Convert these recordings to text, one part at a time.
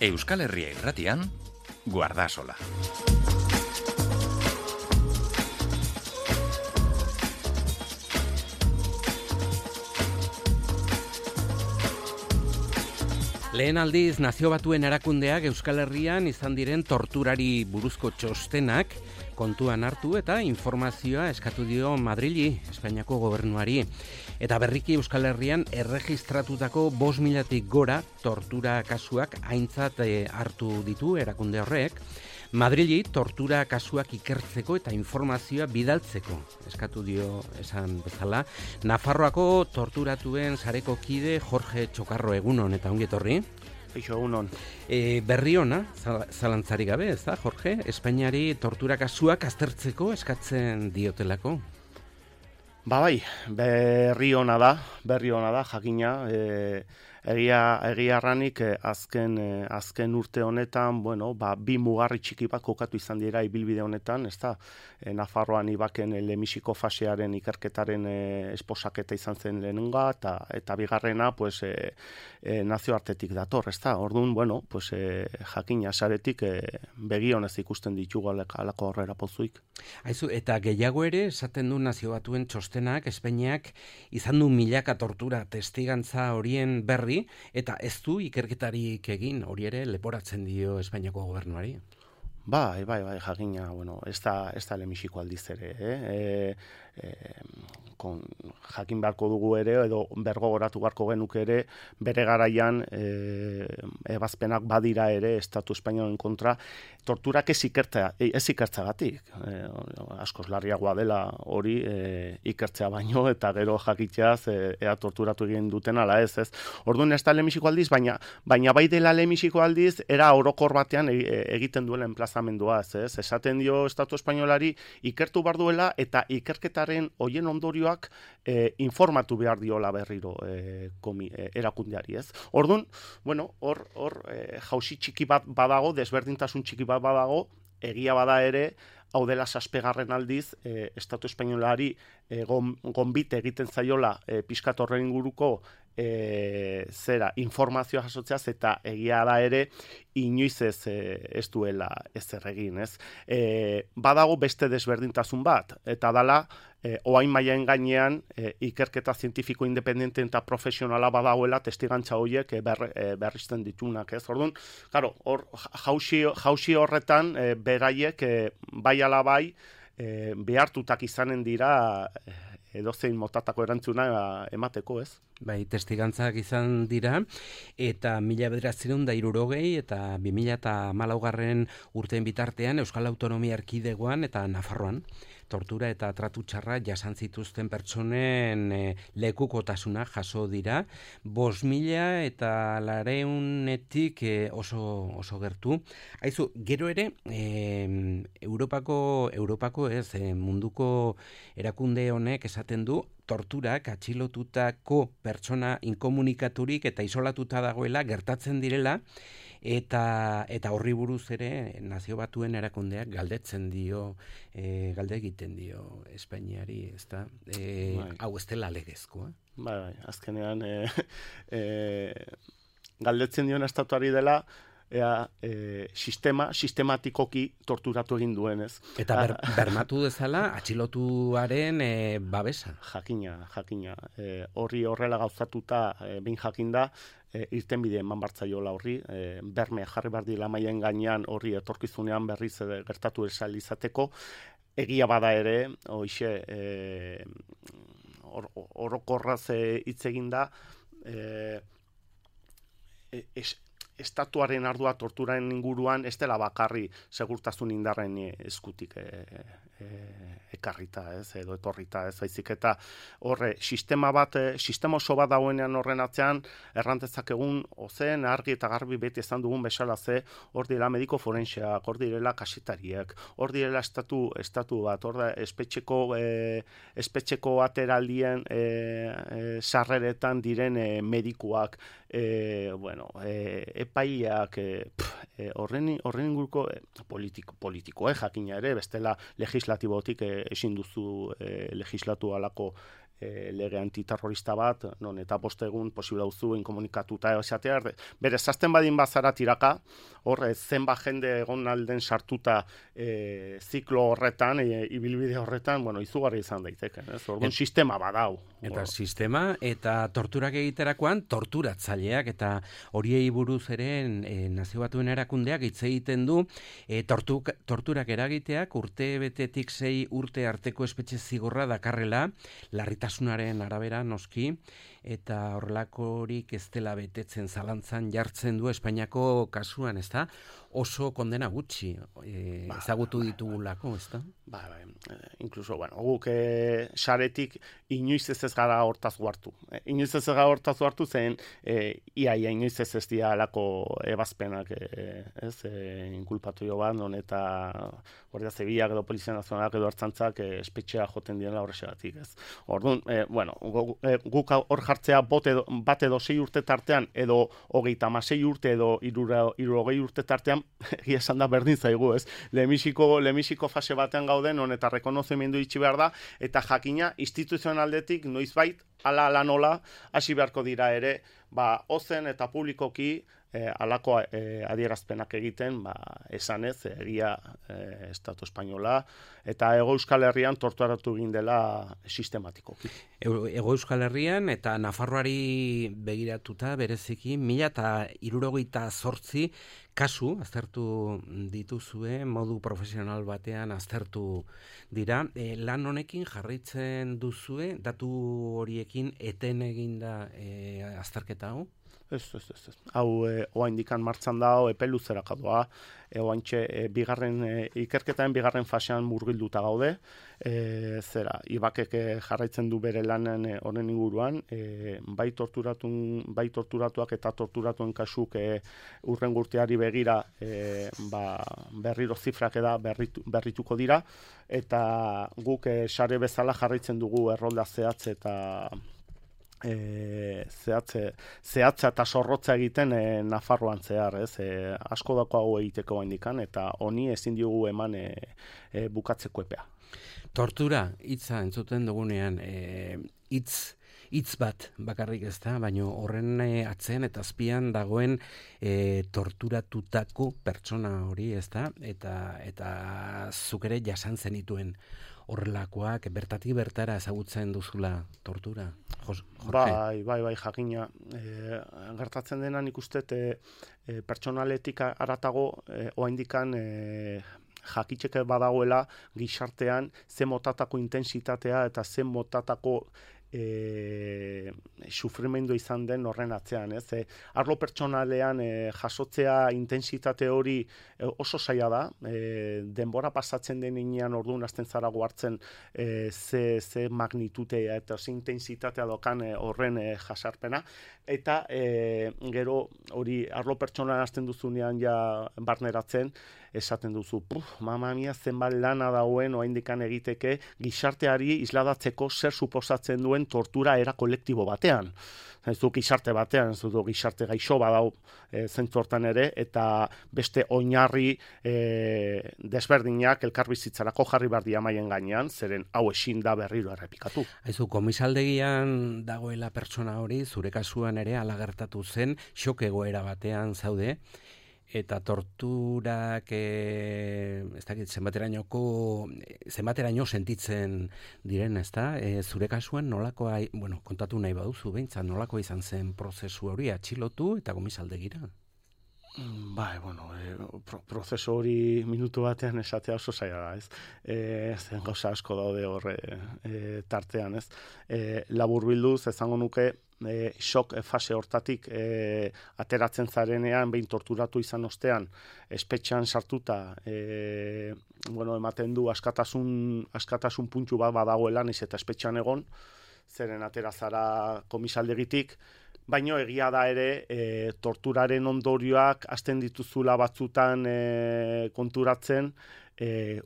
Euskal Herria Irratian, Guardasola. Lehen aldiz Nazio Batuen Erakundeak Euskal Herrian izan diren torturari buruzko txostenak kontuan hartu eta informazioa eskatu dio Madrili, Espainiako gobernuari. Eta berriki Euskal Herrian erregistratutako 5.000-tik gora tortura kasuak aintzat hartu ditu erakunde horrek. Madrili tortura kasuak ikertzeko eta informazioa bidaltzeko eskatu dio esan bezala. Nafarroako torturatuen sareko kide Jorge Txokarro, egunon eta ongi etorri. Eixo, egunon. Berri ona, zalantzari gabe, ez da, Jorge? Espainiari tortura kasuak aztertzeko eskatzen diotelako. Bai, berri ona da, jakina. Egia arranik azken urte honetan, bi mugarri txiki bat kokatu izan dira ibilbide honetan, ezta? Nafarroan ibaken lehenbiziko fasearen ikerketaren esposaketa izan zen lehenenga, eta bigarrena, nazioartetik dator, ezta? Orduan, jakina saretik begionez ikusten ditugu alako horrera pozuik. Aizu, eta gehiago ere, esaten du Nazio Batuen txostenak, Espainiak izan du milaka tortura testigantza horien berri, eta ez du ikerketarik egin, hori ere leporatzen dio Espainiako gobernuari. Bai, jakina, ez da lehenbiziko aldiz ere, jakin beharko dugu ere, edo bergogoratu beharko genuke ere, bere garaian ebazpenak badira ere Estatu Espainolen kontra, torturak ez ikertzagatik. Askoz larriagoa dela hori ikertzea baino, eta gero jakitzeaz ea torturatu egin duten ala ez. Orduan ez da lehenbiziko aldiz, baina bai dela lehenbiziko aldiz, era orokor batean egiten duela enplazamendua, ez? Esaten dio Estatu Espainolari ikertu behar duela, eta ikerketaren hoien ondorioak informatu behar diola berriro erakundeari, ez? Orduan, hor jauzi txiki bat badago, desberdintasun txiki bat badago, egia bada ere, hau dela zazpegarren aldiz, Estatu Espainolari gonbite egiten zaiola pixkat horren inguruko informazioa jasotzeaz, eta egia da ere inoiz ez duela ezer egin, ez? Badago beste desberdintasun bat, eta dala oain mailaen gainean ikerketa zientifiko independente eta profesionala badagoela testigantza horiek berrizten ditunak, ez? Orduan, claro, hor jauzi horretan beraiek bai ala bai behartutak izanen dira edozein motatako erantzuna emateko, ez? Bai, testigantzak izan dira, eta 1960 eta 2014 urteen bitartean Euskal Autonomia Erkidegoan eta Nafarroan tortura eta tratu txarra jasan zituzten pertsonen lekukotasuna jaso dira, 5.000 eta 400-etik oso gertu. Aizu, gero ere, Europako ez, munduko erakunde honek esaten du, torturak atxilotutako pertsona inkomunikaturik eta isolatuta dagoela gertatzen direla, eta horri buruz ere Nazio Batuen erakundeak galde egiten dio Espainiari, ezta? Hau ez dela legezkoa. Bai, azkenean galdetzen dion estatuari dela sistematikoki torturatu egin duenez. Eta bermatu dezala atxilotuaren babesa. Jakina. Horri horrela gauzatuta behin jakinda, irtenbide eman bartzaiola horri, berme jarri behar dila mailen gainean horri etorkizunean berriz gertatu esal izateko, egia bada ere, hoixe, orokorraz hitz eginda, estatuaren ardua torturaren inguruan ez dela bakarri segurtasun indarren eskutik ekarrita, ez, edo etorrita, ez, baizik eta horre, sistema oso bat dauenean horren atzean, errantezak egun, ozen, argi eta garbi beti ezan dugun bezala hor direla mediko forenseak, hor direla kasetariak, hor direla estatu bat, hor da espetxeko ateraldien sarreretan diren medikuak, epaiak, horren inguruko politiko, jakina ere, bestela legislatibotik ezin duzu legislatu alako lege antiterrorista bat, non eta 5 egun posible dauzuen komunikatuta esatea, bere zazten badin bazara tiraka, hor zenbat jende egon alden sartuta ziklo horretan, ibilbide horretan, bueno, izugarri izan daiteke, ez? Orduan sistema badau. Eta sistema, eta torturak egiterakoan, torturatzaileak, eta horiei buruz ere Nazio Batuen Erakundeak hitz egiten du, torturak eragiteak urte betetik 6 urte arteko espetxe zigorra dakarrela, larritasunaren arabera noski, eta horrelakorik ez dela betetzen zalantzan jartzen du Espainiako kasuan, ezta? Oso kondena gutxi ezagutu ditugulako, ezta? Inkluso, guk saretik inoiz ez gara hortaz guartu. Inoiz ez gara hortaz guartu zen ia inoiz ez dira alako ebazpenak inkulpatu jo bat, non eta Guardia Zibilak edo Polizia Nazionalak edo Ertzaintzak espetxea joten direla horrexegatik, ez. Orduan, guk hor jartzea bat edo 6 urte tartean, edo 36 urte edo 60 urte tartean, egia esan da berdin zaigu, ez. Lehenbiziko fase batean gauden, non eta rekonozimendu itxi behar da, eta jakina instituzionaldetik noizbait, ala nola, hasi beharko dira ere, ozen eta publikoki alako adierazpenak egiten, esanez, egia Estatu Espainola, eta Hego Euskal Herrian torturatu egin dela sistematikoki. Hego Euskal Herrian eta Nafarroari begiratuta bereziki 1068 kasu aztertu dituzue, modu profesional batean aztertu dira. Lan honekin jarraitzen duzue, datu horiekin eten eginda azterketa hau? Ez. Hau oaindikan martxan da, epe luzeraka doa, oaintxe ikerketaren bigarren fasean murgilduta gaude, Ibakek jarraitzen du bere lanen honen inguruan, bai torturatuak eta torturatuen kasuk urrengo urteari begira berriro zifrak berrituko dira, eta guk sare bezala jarraitzen dugu errolda zehatz eta zehatza eta zorrotza egiten Nafarroan zehar, asko dako hau egiteko indikan, eta honi ezin diogu eman bukatzeko epea. Tortura, hitza entzuten dugunean, hitz bat bakarrik ez da, baina horren atzean eta azpian dagoen torturatutako pertsona hori ez da, eta zuk ere jasan zenituen horrelakoak, bertatik bertara ezagutzen duzula tortura? Bai, jakina. Gertatzen dena nik uste pertsonaletik aratago oaindikan jakitzeke badagoela gizartean ze motatako intensitatea eta ze motatako sufrimendu izan den horren atzean, ez? Arlo pertsonalean jasotzea intensitate hori oso zaila da, denbora pasatzen denean orduan hasten zara hartzen ze magnitutea eta ze intensitatea dokan horren jasarpena, eta gero hori arlo pertsonalean hasten duzunean ja barneratzen, esaten duzu, mama mia, zenbat lana dauen oraindikan egiteke gizarteari isladatzeko zer suposatzen duen tortura era kolektibo batean. Ez du gizarte batean, ez du gizarte gaixo badau zentzu hortan ere, eta beste oinarri desberdinak elkarbizitzarako jarri behar dira maien gainean, zeren hau ezin da berriro errepikatu. Aizu, komisaldegian dagoela pertsona hori, zure kasuan ere hala gertatu zen, xok egoera batean zaude, eta torturak ez dakit zenbateraino sentitzen diren, ezta? Zure kasuan nolakoa, kontatu nahi baduzu behintzat, nolakoa izan zen prozesu hori atxilotu eta komisaldegira? Prozesu hori minutu batean esatea oso zaila da, ez? Zen gauza asko daude horre tartean, ez? Laburbilduz, esango nuke, shock fase hortatik ateratzen zarenean, behin torturatu izan ostean, espetxean sartuta, ematen du askatasun puntu bat badagoela, niz eta espetxean egon, zeren atera zara komisaldegitik, baino egia da ere torturaren ondorioak hasten dituzula batzutan konturatzen,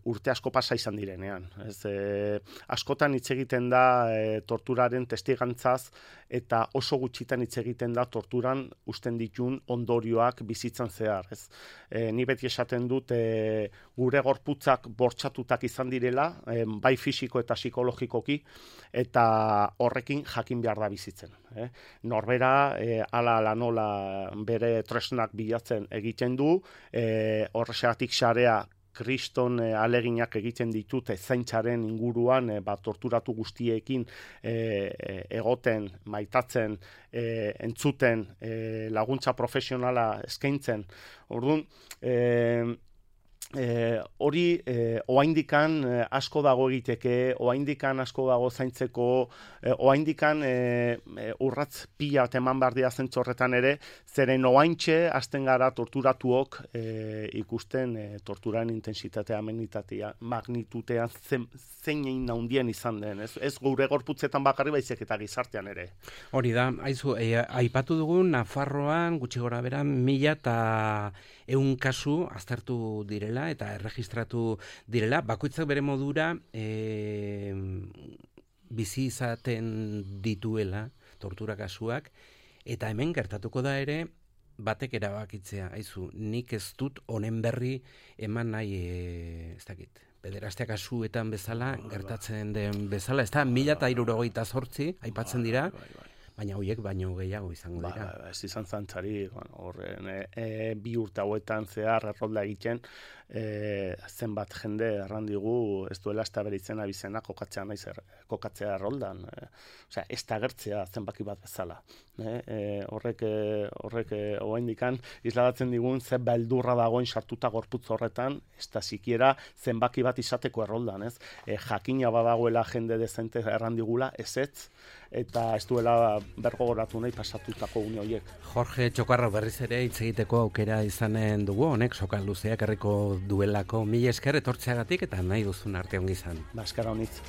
urte asko pasa izan direnean. Askotan hitz egiten da torturaren testigantzaz eta oso gutxitan hitz egiten da torturan usten ditun ondorioak bizitzan zehar. Ni beti esaten dut gure gorputzak bortxatutak izan direla, bai fisiko eta psikologikoki, eta horrekin jakin behar da bizitzen. Norbera, ala nola bere tresnak bilatzen egiten du, horrexegatik sarea kriston aleginak egiten ditute zaintzaren inguruan torturatu guztiekin egoten, maitatzen, entzuten, laguntza profesionala eskaintzen. Orduan, hori oraindikan asko dago egiteke, oraindikan asko dago zaintzeko, oraindikan urratz pila eman behar dira zentzu horretan ere, zeren oraintxe hasten gara torturatuok ikusten torturaren intensitatea, magnitutean zein handien izan den. Ez gure gorputzetan bakarri baizik eta gizartean ere. Hori da, aizu, aipatu dugu Nafarroan gutxi gora bera 1.100 kasu aztertu direla eta erregistratu direla, bakoitzak bere modura bizi izaten dituela tortura kasuak, eta hemen gertatuko da ere batek erabakitzea, aizu, nik ez dut honen berri eman nahi, ez dakit, pederastia kasuetan bezala, gertatzen den bezala, ez da 1.068 aipatzen dira, baina horiek baino gehiago izango dira. Ez izan zantzari, horren 2 urte hauetan zehar errolda egiten, zenbat jende errandigu ez duela ez da beritzen abizena kokatzea erroldan. Osea, ez da gertzea zenbaki bat bezala. Horrek oraindikan isladatzen digun ze beldurra dagoen sartuta gorputz horretan, ez da sikiera zenbaki bat izateko erroldan, ez? Jakina badagoela jende dezente errandigula, ezetz, eta ez duela bergogoratu nahi pasatutako une horiek. Jorge Txokarro, berriz ere hitz egiteko aukera izanen dugu, honek sokal luzeak herriko duelako. Mila esker etortzeagatik eta nahi duzun arte ongi izan. Eskara honitz.